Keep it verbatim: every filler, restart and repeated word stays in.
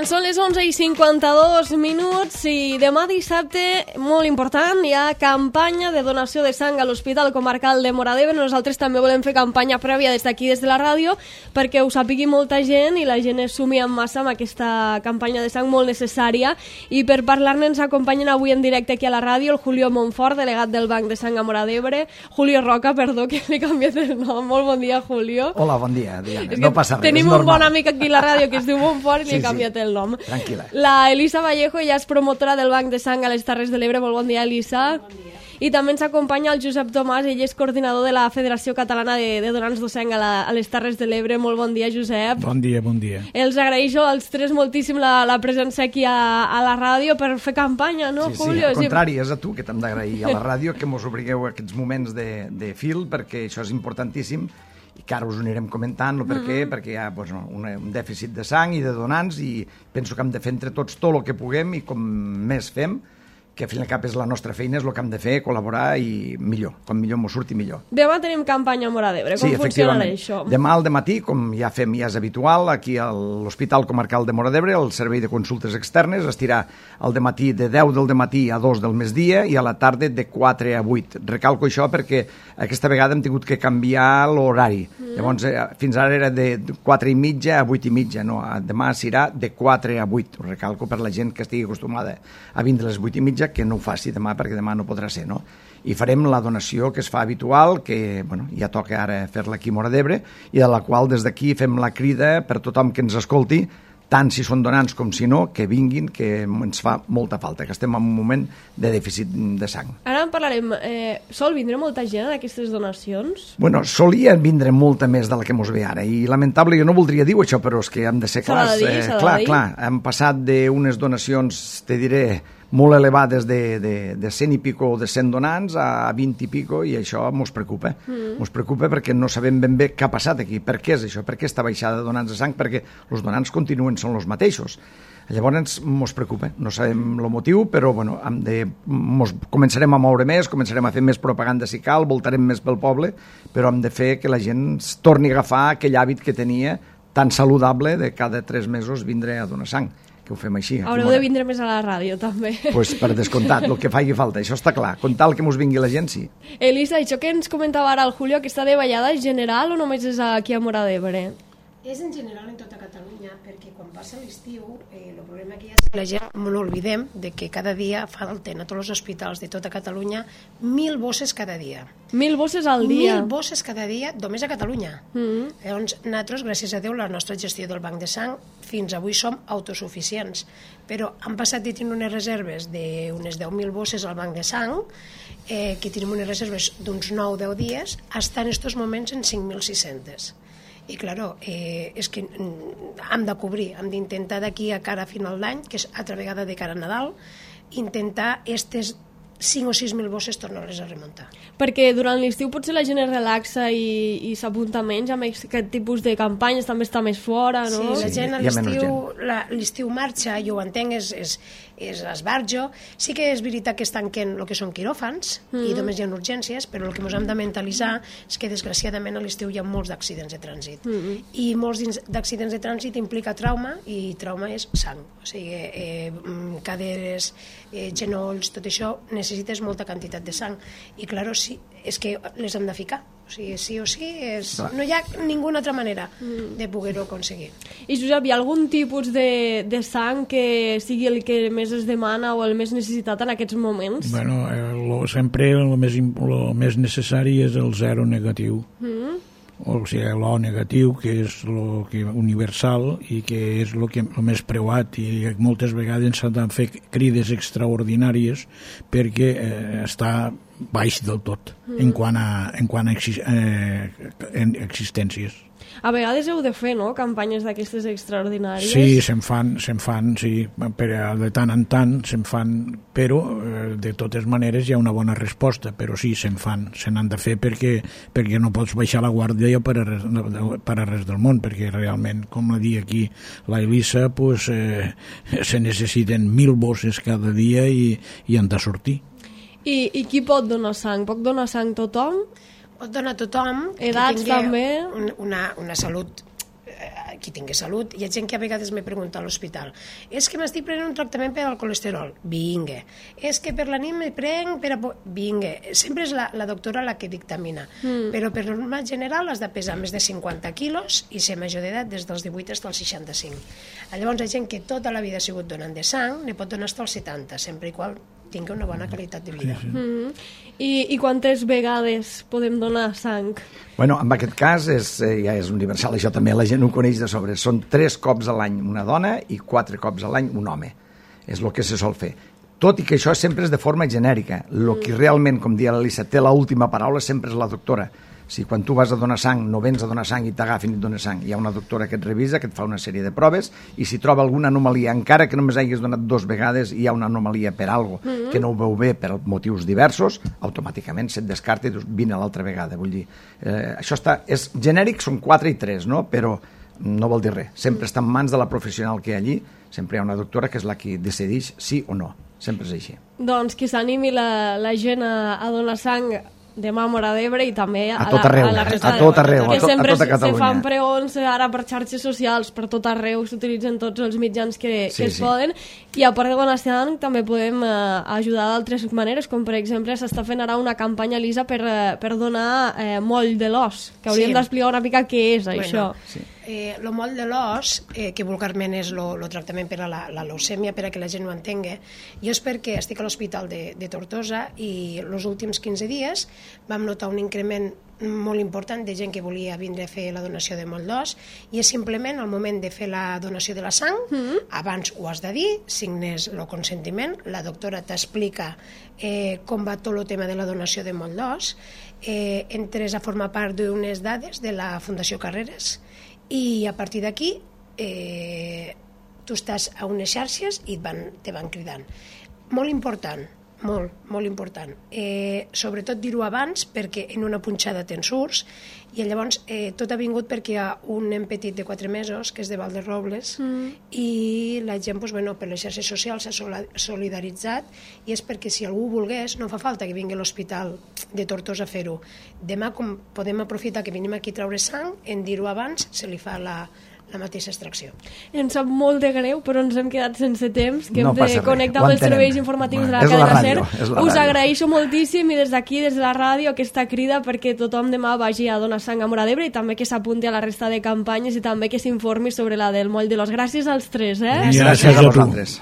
Quan són les onze i cinquanta-dos minuts i demà dissabte, molt important, hi ha campanya de donació de sang a l'Hospital Comarcal de Móra d'Ebre. Nosaltres també volem fer campanya prèvia des d'aquí, des de la ràdio, perquè ho sàpigui molta gent i la gent es sumi en massa amb aquesta campanya de sang molt necessària. I per parlar-ne ens acompanyen avui en directe aquí a la ràdio el Julio Montfort, delegat del Banc de Sang a Móra d'Ebre. Julio Roca, perdó, que li he canviat el nom. Molt bon dia, Julio. Hola, bon dia, Diana. No passa res, tenim és normal. un bon amic aquí a la ràdio que es diu Montfort i li Sí, he canviat sí. el nom. Tranquil·la. La Elisa Vallejo, ella és promotora del Banc de Sang a les Terres de l'Ebre. Molt bon dia, Elisa. Bon dia. I també ens acompanya el Josep Tomàs, ell és coordinador de la Federació Catalana de, de Donants de Sang a, la, a les Terres de l'Ebre. Molt bon dia, Josep. Bon dia, bon dia. Els agraeixo als tres moltíssim la, la presència aquí a, a la ràdio per fer campanya, no, sí, Julio? Sí, al contrari, és a tu que t'hem d'agrair a la ràdio que mos obrigueu a aquests moments de, de fil, perquè això és importantíssim i que ara us ho anirem comentant, no per què, mm -hmm. perquè hi ha pues, no, un, un dèficit de sang i de donants i penso que hem de fer entre tots tot el que puguem i com més fem, que al fin i al cap és la nostra feina, és el que hem de fer, col·laborar i millor, com millor m'ho surti millor. Demà tenim campanya a Móra d'Ebre, com sí, funcionarà això? Demà al dematí, com ja fem, ja és habitual, aquí a l'Hospital Comarcal de Móra d'Ebre, el servei de consultes externes estirà al dematí de deu del dematí a dos del migdia i a la tarda de quatre a vuit. Recalco això perquè aquesta vegada hem tingut que canviar l'horari. Mm. Llavors, eh, fins ara era de quatre i mitja a vuit i mitja, no, demà serà de quatre a vuit. Ho recalco per la gent que estigui acostumada a vindre a les vuit i mitja, que no ho faci demà perquè demà no podrà ser, no? I farem la donació que es fa habitual, que bueno, ja toca ara fer-la aquí a Móra d'Ebre i de la qual des d'aquí fem la crida per tothom que ens escolti, tant si són donants com si no, que vinguin, que ens fa molta falta, que estem en un moment de dèficit de sang. Ara en parlarem. Eh, sol vindre molta gent a aquestes donacions? Bueno, solia vindre molta més de la que mos ve ara, i lamentable, jo no voldria dir això, però és que hem de ser clars. Dir, eh, clar, clar, hem passat d'unes donacions, te diré, molt elevades de, de, de cent i pico o de cent donants a vint i pico, i això mos preocupa. Mm. Mos preocupa perquè no sabem ben bé què ha passat aquí. Per què és això? Per què està baixada de donants de sang? Perquè els donants continuen, són els mateixos. Llavors mos preocupa, no sabem el motiu, però bueno, hem de, mos començarem a moure més, començarem a fer més propaganda si cal, voltarem més pel poble, però hem de fer que la gent torni a agafar aquell hàbit que tenia tan saludable de cada tres mesos vindre a donar sang. Que ho fem així. Haureu de vindre més a la ràdio, també. Doncs pues per descomptat, el que faci falta, això està clar. Con tal que mos vingui la gent, sí. Elisa, això que ens comentava ara el Julio, aquesta davallada és general o només és aquí a Móra d'Ebre? És en general en tota Catalunya, perquè quan passa l'estiu, eh, el problema que hi ha és que la gent, no oblidem, de que cada dia falten a tots els hospitals de tota Catalunya mil bosses cada dia. Mil bosses al dia? Mil bosses cada dia, només a Catalunya. Mm-hmm. Llavors, nosaltres, gràcies a Déu, la nostra gestió del Banc de Sang, fins avui som autosuficients, però han passat de tenir unes reserves d'unes deu mil bosses al Banc de Sang, eh, que tenim unes reserves d'uns nou o deu dies, estan en aquests moments en cinc mil sis-cents. I, claro, eh, és que hem de cobrir, hem d'intentar d'aquí a cara a final d'any, que és altra vegada de cara a Nadal, intentar aquestes cinc o sis mil bosses tornar-les a remuntar. Perquè durant l'estiu potser la gent es relaxa i, i s'apunta menys amb aquest tipus de campanyes, també està més fora, no? Sí, la gent a sí, l'estiu l'estiu marxa, jo ho entenc, és, és, és esbarjo. Sí que és veritat que es tanquen el que són quiròfans mm. i només hi ha urgències, però el que ens hem de mentalitzar és que desgraciadament a l'estiu hi ha molts d'accidents de trànsit. Mm. I molts d'accidents de trànsit implica trauma, i trauma és sang. O sigui, eh, caderes, eh, genolls, tot això necessites molta quantitat de sang. I, claro, sí, és que les hem de ficar. O sigui, sí o sí, és... no hi ha ninguna altra manera de poder-ho aconseguir. I, Josep, hi ha algun tipus de, de sang que sigui el que més es demana o el més necessitat en aquests moments? Bueno, eh, lo, sempre el més, lo més necessari és el zero negatiu. Mm. O sigui, l'O negatiu, que és lo que universal i que és el que el més preuat, i moltes vegades s'han de fer crides extraordinàries perquè eh, està baix del tot mm. en quant a, en quant a exi eh, en existències. A vegades heu de fer, no?, campanyes d'aquestes extraordinàries. Sí, se'n fan, se'n fan, sí, però de tant en tant se'n fan, però eh, de totes maneres hi ha una bona resposta, però sí, se'n fan, se n'han de fer perquè, perquè no pots baixar la guàrdia per a res, per a res del món, perquè realment, com la dia aquí la Elisa, pues, eh, se necessiten mil bosses cada dia i, i han de sortir. I, I qui pot donar sang? Pot donar sang tothom? Pot donar tothom edats que també una, una salut qui tingui salut. Hi ha gent que a vegades me pregunta a l'hospital, és que m'estic prenent un tractament per al colesterol, vinga. És que per la nit me prenc per a... vinga. Sempre és la, la doctora la que dictamina, mm. però per norma general has de pesar més de cinquanta quilos i ser major d'edat des dels divuit fins als seixanta-cinc. Llavors, hi ha gent que tota la vida ha sigut donant de sang, ne pot donar fins als setanta, sempre i qual tingui una bona qualitat de vida. Sí, sí. Mm. I, I quantes vegades podem donar sang? Bueno, en aquest cas és, eh, ja és universal, això també la gent ho coneix de sobre. Són tres cops a l'any una dona i quatre cops a l'any un home. És el que se sol fer. Tot i que això sempre és de forma genèrica. El que realment, com dia l'Elisa, té l'última paraula sempre és la doctora. Si quan tu vas a donar sang no vens a donar sang i t'agafin i et dones sang, hi ha una doctora que et revisa, que et fa una sèrie de proves, i si troba alguna anomalia, encara que només hagis donat dos vegades, hi ha una anomalia per algo mm-hmm. que no ho veu bé per motius diversos, automàticament se't descarta i dius, vine l'altra vegada. Vull dir, eh, això està, és genèric, són quatre i tres, no? Però no vol dir res. Sempre està en mans de la professional que hi ha allí, sempre hi ha una doctora que és la que decideix sí o no. Sempre és així. Doncs que s'animi la, la gent a, a donar sang demà a Móra d'Ebre i també a, a tot arreu, a la resta a tot arreu, que a, to, a sempre tota Catalunya. se fan pregons ara per xarxes socials, per tot arreu s'utilitzen tots els mitjans que, sí, que es sí. poden, i a part de donar sang també podem eh, ajudar d'altres maneres, com per exemple s'està fent ara una campanya, Elisa, per, eh, per donar eh, moll de l'os, que hauríem sí. d'explicar una mica què és bueno, això. Sí. Eh, lo moll de l'os, eh, que vulgarment és el tractament per a la, la leucèmia, per a que la gent ho entengui, jo és perquè estic a l'Hospital de, de Tortosa i els últims quinze dies vam notar un increment molt important de gent que volia vindre a fer la donació de moll d'os, i és simplement al moment de fer la donació de la sang, mm-hmm. abans ho has de dir, signes el consentiment, la doctora t'explica eh, com va tot el tema de la donació de moll d'os, eh, entres a formar part d'unes dades de la Fundació Carreras, i a partir d'aquí eh, tu estàs a unes xarxes i et van, te van cridant. Molt important, molt, molt important. Eh, sobretot dir-ho abans perquè en una punxada te'n surts, i llavors eh, tot ha vingut perquè hi ha un nen petit de quatre mesos que és de Valderobles mm. i la gent pues, bueno, per les xarxes socials s'ha solidaritzat, i és perquè si algú volgués no fa falta que vingui a l'Hospital de Tortosa a fer-ho. Demà, com podem aprofitar que venim aquí a treure sang, en dir-ho abans se li fa la, la mateixa extracció. Em sap molt de greu, però ens hem quedat sense temps, que no hem de connectar amb els serveis informatius bueno, de la cadena SER. Us agraeixo moltíssim, i des d'aquí, des de la ràdio, aquesta crida perquè tothom demà vagi a donar sang a Móra d'Ebre, i també que s'apunti a la resta de campanyes i també que s'informi sobre la del moll de l'os. Gràcies als tres, eh? Gràcies, Gràcies a vosaltres.